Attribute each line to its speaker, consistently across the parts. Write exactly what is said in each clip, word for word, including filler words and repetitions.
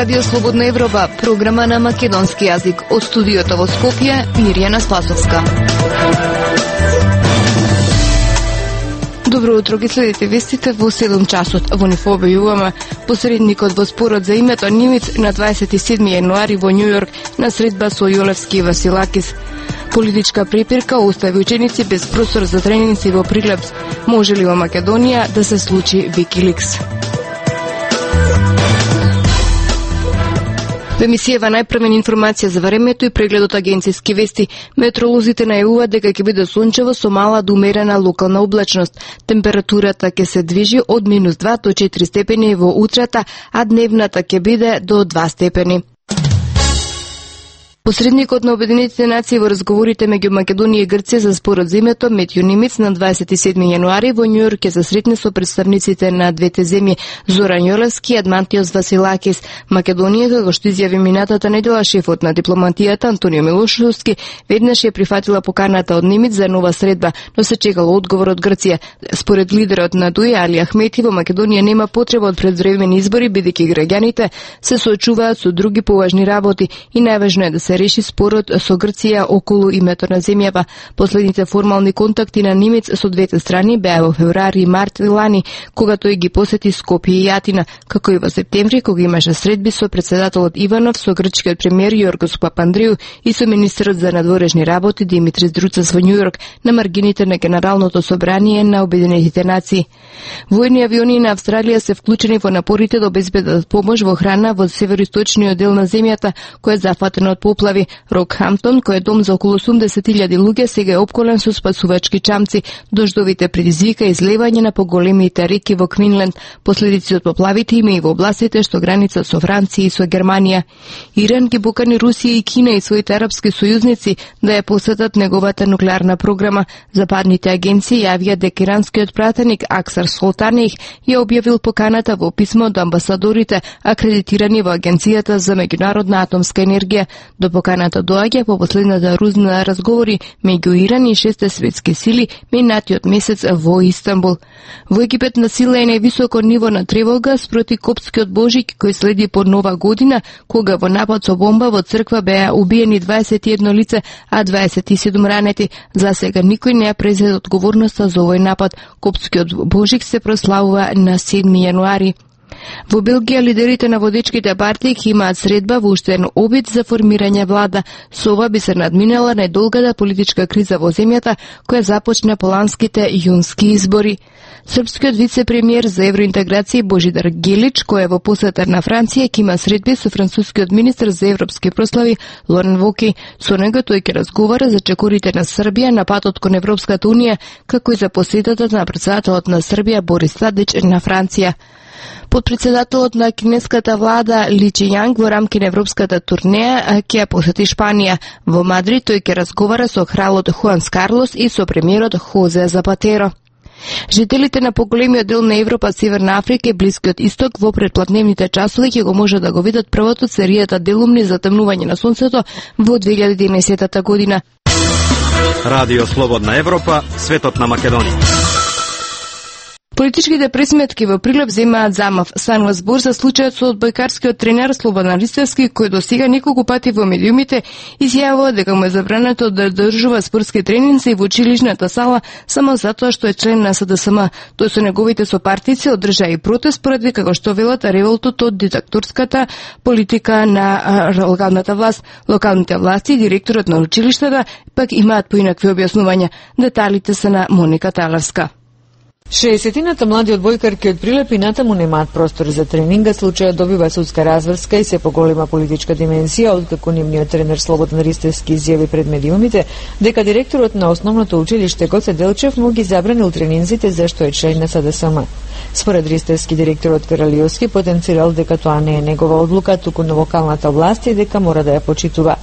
Speaker 1: Радио Слободна Европа, програма на македонски јазик. Од студиото во Скопје, Мирјана Спасовска. Добро утро, ги следите вестите во седум часот. Во нив објавуваме посредникот во спорот за името Нимиц на дваесет и седми јануари во Њујорк на средба со Јолевски и Василакис. Политичка препирка остави ученици без простор за тренинзи во Прилепс. Може ли во Македонија да се случи Викиликс? Во емисијава најпрвена информација за времето и прегледот агенцијски вести. Метеоролозите најавуваат дека ќе биде сончево со мала до умерена локална облачност. Температурата ќе се движи од минус два до четири степени во утрата, а дневната ќе биде до два степени. Посредникот на Обединетите нации во разговорите меѓу Македонија и Грција за спорот за името Метју Нимиц на дваесет и седми јануари во Њујорк ќе се сретне со представниците на двете земји Зоран Јолевски и Адмантиос Василакис. Македонија, како што изјави минатата недела шефот на дипломатијата Антонио Милошовски, веднаш ја прифатила поканата од Нимиц за нова средба, но се чекало одговор од Грција. Според лидерот на ДУИ Али Ахмети, во Македонија нема потреба од предвремени избори, бидејќи граѓаните се соочуваат со други поважни работи и најважно е да се реши спорот со Грција околу името на земјава. Последните формални контакти на Нимиц со двете страни беа во февруари и март лани, кога тој ги посети Скопје и Јатина, како и во септември, кога имаше средби со председателот Иванов, со грчкиот премиер Јоргос Папандреу и со министерот за надворешни работи Димитрис Друцас во Њујорк на маргините на Генералното собрание на Обединетите нации. Војни авиони на Австралија се вклучени во напорите да обезбедат помош во храна во североисточниот дел на земјата, кој е зафатен од поплави. Рокхамптон, кој е дом за околу осумдесет илјади луѓе, сега е опколен со спасувачки чамци. Дождовите предизвика излевање на поголемите реки во Квинленд. Последици од поплавите има и во областите што граница со Франција и со Германија. Иран ги покани Русија и Кина и своите арапски сојузници да ја посетат неговата нуклеарна програма. Западните агенции јавија дека иранскиот пратеник Аксар Солтанех ја објавил поканата во писмо до амбасадорите акредитирани во Агенцијата за меѓународна атомска енергија. До поканата доаѓа по последната рунда на разговори меѓу Иран и шесте светски сили минатиот месец во Истанбул. Во Египет на сила е највисоко ниво на тревога спроти Коптскиот Божик кој следи по Нова година, кога во напад со бомба во црква беа убиени дваесет и едно лице, а дваесет и седум ранети. За сега никој не ја презеде одговорноста за овој напад. Коптскиот Божик се прославува на седми јануари. Во Белгија лидерите на водечките партии ќе имаат средба во уштен обид за формирање влада. Со ова би се надминала најдолгата политичка криза во земјата која започна по ланските јунски избори. Српскиот вице-премиер за евроинтеграција Божидар Гелич, кој е во посета на Франција, ќе има средби со францускиот министер за европски прослави Лорен Воки. Со него тој ќе разговара за чекорите на Србија на патот кон Европската унија, како и за посетата на председателот на Србија Борис Тадич на Франција. Подпредседателот на кинеската влада Ли Чијанг во рамки на европската турнеја ќе посети Шпанија. Во Мадрид тој ќе разговара со кралот Хуанс Карлос и со премиерот Хозе Запатеро. Жителите на поголемиот дел на Европа, Северна Африка и Блискиот Исток во предплатневните часови ќе го може да го видат првото серијата делумни затемнување на сонцето во две илјади и единаесетта година.
Speaker 2: Радио Слободна Европа, светот на Македонија.
Speaker 1: Политичките пресметки во Прилеп земаат замав. Станува збор за случајот со одбојкарскиот тренер Слободан Ристевски, кој до сега неколку пати во медиумите изјавува дека му е забрането да држува спортски тренинзи во училишната сала само затоа што е член на С Д С М. Тој со неговите сопартици одржа и протест поради како што велат револтот од диктаторската политика на локалната власт. Локалните власти и директорот на училиштата пак имаат поинакви објаснувања. Деталите се на Моника Талевска.
Speaker 3: шеесетината млади одбојкарки од Прилеп и натаму немаат простор за тренинга, случајот добива судска разврска и се поголема политичка дименсија, откако нивниот тренер Слободан Ристевски изјави пред медиумите дека директорот на основното училиште Гоце Делчев му ги забранил тренинзите зашто е член на С Д С М. Според Ристевски, директорот Каралиовски потенцирал дека тоа не е негова одлука, туку на локалната власт и дека мора да ја почитува.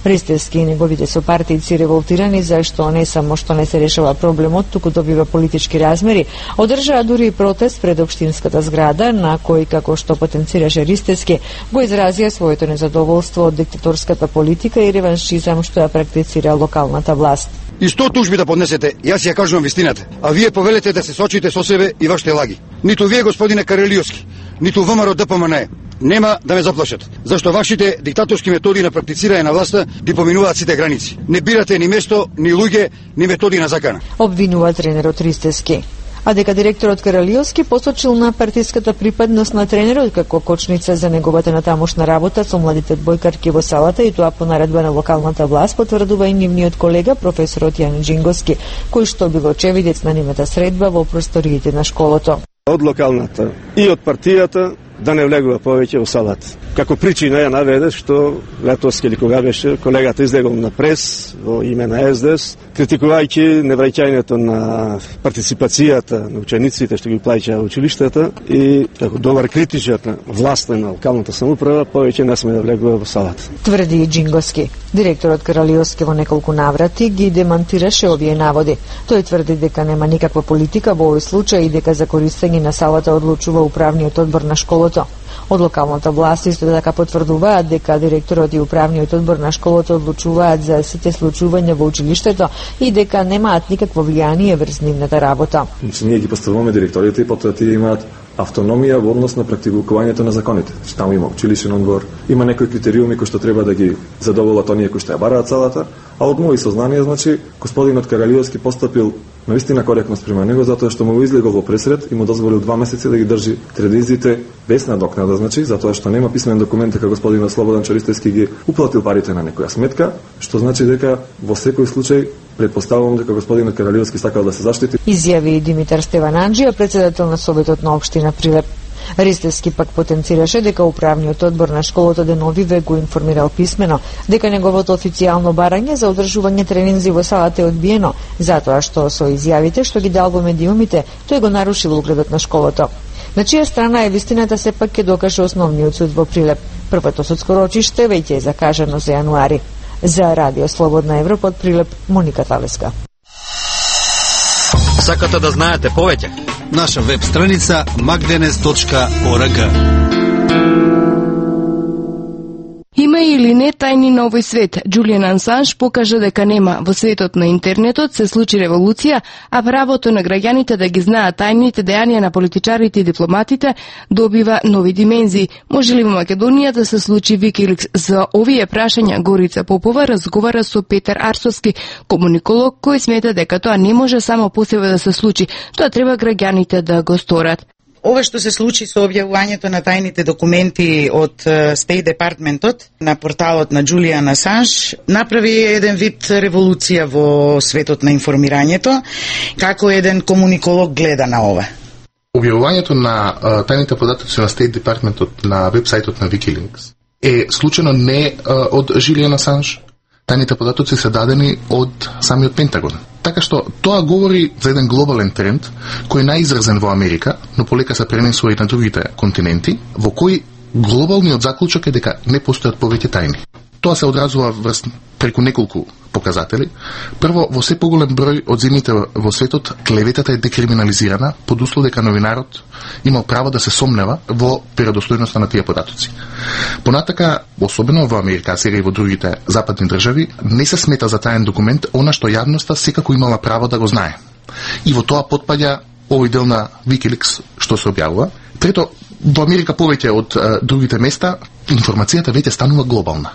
Speaker 3: Ристевски и неговите сопартици револтирани зашто не само што не се решава проблемот, туку добива политички размери, одржаа дури и протест пред општинската зграда, на кој, како што потенцираше Ристевски, го изразија своето незадоволство од диктаторската политика и реваншизам што ја практицира локалната власт.
Speaker 4: и сто тужби да поднесете, јас ја кажувам вистината, а вие повелете да се сочите со себе и вашите лаги. Ниту вие, господине Карелиовски, ниту ВМРО ДПМН нема да ме заплашат, зашто вашите диктаторски методи на практицирање на власта ги поминуваат сите граници. Не бирате ни место, ни луѓе, ни методи на закана.
Speaker 3: Обвинува тренерот Ристевски. А дека директорот Каралиовски посочил на партиската припадност на тренерот како кочница за неговата натамошна работа со младите одбојкарки во салата, и тоа по наредба на локалната власт, потврдува и нивниот колега професорот Јан Джингоски, кој што бил очевидец на нивната средба во просториите на школото.
Speaker 5: Од локалната и од партијата да не влегува повеќе во салата. Како причина ја наведе што летос или кога беше колегата излегол на прес во име на Ес Де Ес, критикувајќи невраќањето на партиципацијата на учениците што ги плаќаа училиштата, и како добар критичар на власта на локалната самоуправа повеќе не сме да влегува во салата.
Speaker 3: Тврди Джингоски. Директорот Каралиовски во неколку наврати ги демантираше овие наводи. Тој тврди дека нема никаква политика во овој случај и дека за користење на салата одлучува управниот одбор на школото. Од локалната власт исто така потврдуваат дека директорот и управниот одбор на школото одлучуваат за сите случувања во училиштето и дека немаат никакво влијание врз нивната работа.
Speaker 6: Ние ги поставуваме директорите и потоа тие имаат автономија во однос на практикувањето на законите. Таму има училишен одбор, има некои критериуми кои што треба да ги задоволат оние кои што ја бараат салата, а од мои сознание, значи, господинот Каралиовски постапил навистина коректно спрема него, затоа што му излегол во пресред и му дозволил два месеци да ги држи телевизиите без надокнада, значи, затоа што нема писмен документ дека господинот Слободан Чористевски ги уплатил парите на некоја сметка, што значи дека во секој случај предпоставувам дека господинот Каралиовски сакал да се заштити.
Speaker 3: Изјави Димитар Стевананџија, председател на Советот на општина Прилеп. Ристевски пак потенцираше дека управниот одбор на школото деновиве го информирал писмено дека неговото официјално барање за одржување тренинзи во салата е одбиено, затоа што со изјавите што ги дал во медиумите, тој го нарушил угледот на школото. На чија страна е вистината сепак ќе докаже основниот суд во Прилеп. Првото судско рочиште веќе е закажано за јануари. За Радио Слободна Европа од Прилеп, Моника Талеска.
Speaker 2: Сакате да знаете повеќе?
Speaker 7: Наша веб страница magdenes точка org.
Speaker 1: Има или не тајни на овој свет? Џулијан Ансанж покажа дека нема. Во светот на интернетот се случи револуција, а правото на граѓаните да ги знаат тајните дејанија на политичарите и дипломатите добива нови димензии. Може ли во Македонија да се случи Викиликс? За овие прашања Горица Попова разговара со Петар Арсовски, комуниколог, кој смета дека тоа не може само по себе да се случи, тоа треба граѓаните да го сторат.
Speaker 8: Ова што се случи со објавувањето на тајните документи од State Departmentот на порталот на Џулијан Асанж направи еден вид револуција во светот на информирањето. Како еден комуниколог гледа на ова?
Speaker 9: Објавувањето на а, тајните податоци на State Departmentот на вебсајтот на Wikileaks е случено не а, од Џулијан Асанж. Тајните податоци се дадени од самиот Пентагон. Така што тоа говори за еден глобален тренд кој е најизразен во Америка, но полека се пренесува и на другите континенти, во кој глобалниот заклучок е дека не постојат повеќе тајни. Тоа се одразува врз преку неколку показатели. Прво, во се поголем број од земјите во светот клеветата е декриминализирана под услов дека новинарот имал право да се сомнева во веродостојноста на тие податоци. Понатака, особено во Америка, сега и во другите западни држави, не се смета за таен документ она што јавноста секако имала право да го знае. И во тоа потпаѓа овој дел на Wikileaks што се објавува. Трето, во Америка повеќе од а, другите места, информацијата веќе станува глобална.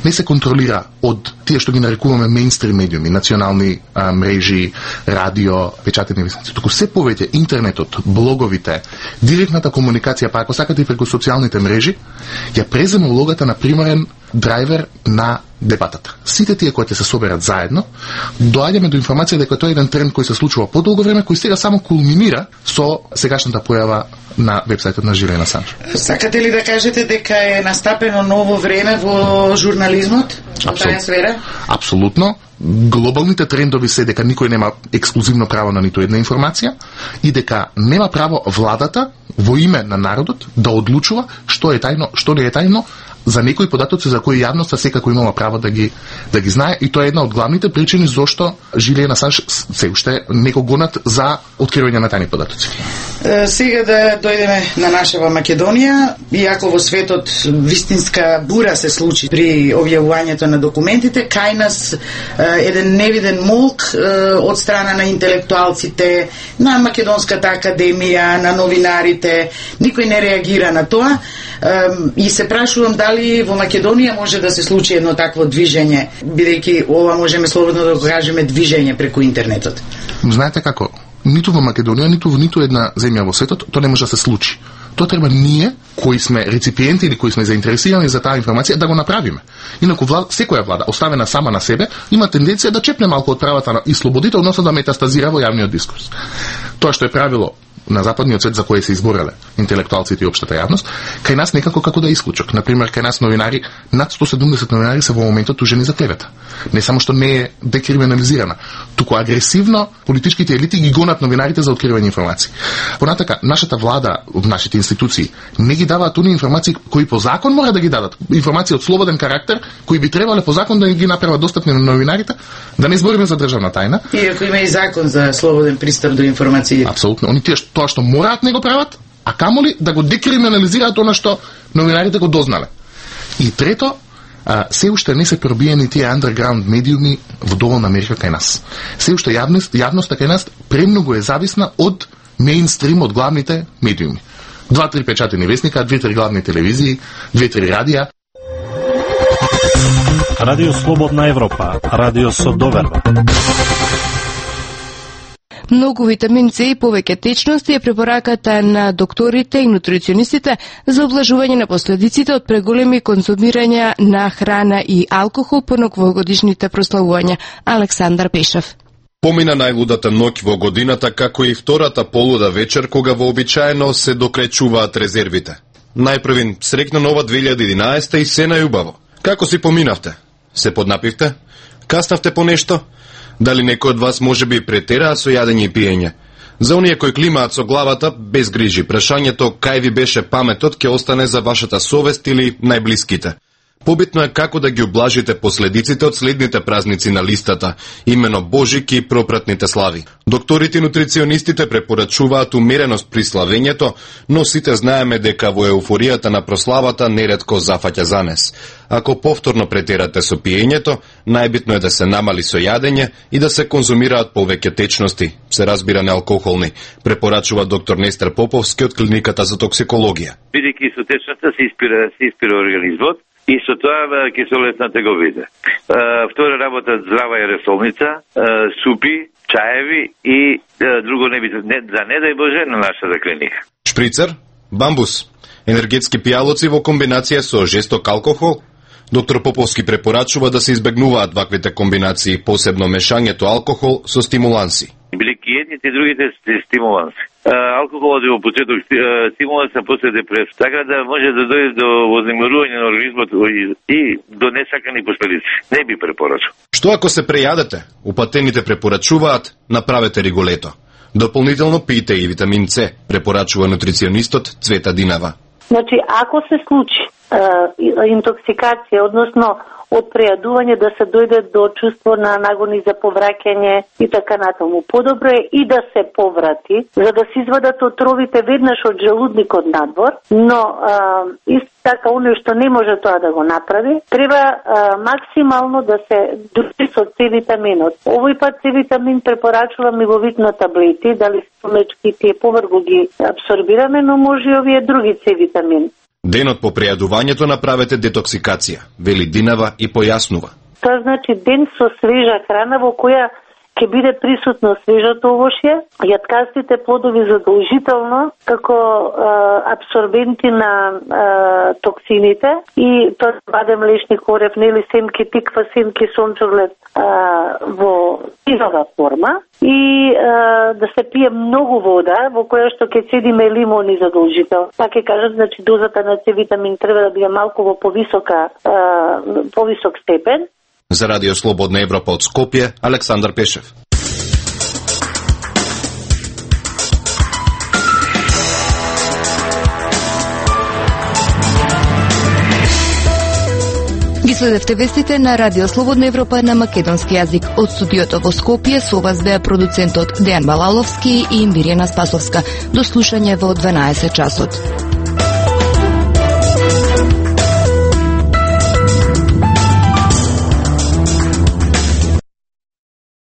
Speaker 9: Не се контролира од тие што ги нарекуваме мејнстрим медиуми, национални а, мрежи, радио, печатени вестници. Туку се повеќе интернетот, блоговите, директната комуникација, па ако сакате и преку социјалните мрежи, ја презема улогата на примарен драйвер на дебатата. Сите тие кои ќе се соберат заедно, доаѓаме до информација дека тоа е еден тренд кој се случува подолго време, кој сега само кулминира со сегашната појава на вебсајтот на Џулијан Асанж.
Speaker 8: Сакате ли да кажете дека е настапено ново време во журнализмот во таа сфера?
Speaker 9: Апсолутно. Глобалните трендови се дека никој нема ексклузивно право на ниту една информација и дека нема право владата во име на народот да одлучува што е тајно, што не е тајно, за некои податоци за кои јавноста секако имала право да ги да ги знае, и тоа е една од главните причини зошто Жилијан Асанж се уште не го гонат за откривање на тајни податоци.
Speaker 8: Е, сега да дојдеме на нашава Македонија, иако во светот вистинска бура се случи при објавувањето на документите, кај нас е, еден невиден молк е, од страна на интелектуалците, на Македонската академија, на новинарите, никој не реагира на тоа, е, и се прашувам дали во Македонија може да се случи едно такво движење, бидејќи ова можеме слободно да го кажеме движење преку интернетот.
Speaker 9: Знаете како? Ниту во Македонија, ниту во ниту една земја во светот тоа не може да се случи. Тоа треба ние, кои сме реципиенти или кои сме заинтересирани за таа информација, да го направиме. Инаку влада, секоја влада, оставена сама на себе, има тенденција да чепне малку од правата и слободите, односно да метастазира во јавниот дискурс. Тоа што е правило на западниот свет за кој се избореле интелектуалците и општата јавност, кај нас некако како да е исклучок. Например, кај нас новинари, над сто седумдесет новинари се во моментот тужени за клевета. Не само што не е декриминализирана, туку агресивно политичките елити ги гонат новинарите за откривање информации. Понатака, нашата влада, нашите институции не ги даваат оние информации кои по закон мора да ги дадат. Информации од слободен карактер, кои би требале по закон да ги направат достапни на новинарите, да не збориме за државна тајна.
Speaker 8: Иако има и закон за слободен пристап до информации.
Speaker 9: Апсолутно. Они тие тоа што мораат не го прават, а камоли да го декриминализираат она што новинарите го дознале. И трето, а, се уште не се пробиени тие underground медиуми во доволна мерка кај нас. Се уште јавност, јавноста кај нас премногу е зависна од мејнстрим, од главните медиуми. Два-три печатени вестника, две-три главни телевизии, две-три радија.
Speaker 2: Радио Слободна Европа, радио со доверба.
Speaker 1: Многу витамин С и повеќе течности е препораката на докторите и нутриционистите за облажување на последиците од преголеми конзумирање на храна и алкохол по новогодишните прославувања. Александар Пешев.
Speaker 10: Помина најлудата ноќ во годината, како и втората полуда вечер, кога вообичаено се докречуваат резервите. Најпрвин срекна нова две илјади и единаесета и се најубаво. Како си поминавте? Се поднапивте? Каснавте по нешто? Дали некој од вас може би претераа со јадење и пиење? За оние кои климаат со главата, без грижи, прашањето кај ви беше паметот ќе остане за вашата совест или најблиските. Побитно е како да ги облажите последиците од следните празници на листата, имено Божик и пропратните слави. Докторите и нутриционистите препорачуваат умереност при славењето, но сите знаеме дека во еуфоријата на прославата неретко зафаќа занес. Ако повторно претерате со пиењето, најбитно е да се намали со јадење и да се конзумираат повеќе течности, се разбира неалкохолни, препорачува доктор Нестер Поповски од клиниката за токсикологија.
Speaker 11: Бидејќи со течноста се испира, се испира организмот, и со тоа киселетна теговида. Втора работа здрава е ресолница, супи, чаеви и друго не би, не, за не дај Боже на нашата клиника.
Speaker 10: Шприцер, бамбус, енергетски пијалоци во комбинација со жесток алкохол. Доктор Поповски препорачува да се избегнуваат ваквите комбинации, посебно мешањето алкохол со стимуланси.
Speaker 11: Билики едните и другите стимуланси. Алкохолот е во почеток стимуланс, а после депресија. Така да може да дојде до вознемирување на организмот и до несакани последици. Не би препорачал.
Speaker 10: Што ако се прејадете? Упатените препорачуваат направете риголето. Дополнително пијте и витамин С, препорачува нутриционистот Цвета Динава.
Speaker 12: Значи, ако се случи интоксикација, односно од прејадување да се дојде до чувство на нагони за повраќање и така натаму. Подобро е и да се поврати, за да се извадат отровите веднаш од желудникот надвор, но а, исто така оној што не може тоа да го направи, треба а, максимално да се дружи со С витаминот. Овој пат С витамин препорачувам и во вид на таблети, дали мечки тие поврго ги абсорбираме, но може и овие други С витамин.
Speaker 10: Денот по прејадувањето направете детоксикација, вели Динава и појаснува.
Speaker 12: Тоа значи ден со свежа храна во која ќе биде присутно свежото овошје, јаткастите плодови задолжително како а, абсорбенти на а, токсините и тоа бадем, лешник, орев, нели, семки, тиква, семки, сончоглед а, во сирова форма и а, да се пие многу вода во која што ќе седиме лимони задолжително. Па ќе кажат, значи дозата на С витамин треба да биде малку во повисока а, повисок степен.
Speaker 10: За Радио Слободна Европа од Скопје, Александар Пешев.
Speaker 1: Ги следевте вестите на Радио Слободна Европа на македонски јазик. Од студиото во Скопје со вас беа продуцентот Дејан Балаловски и Мирјана Спасовска. До слушање во дванаесет часот.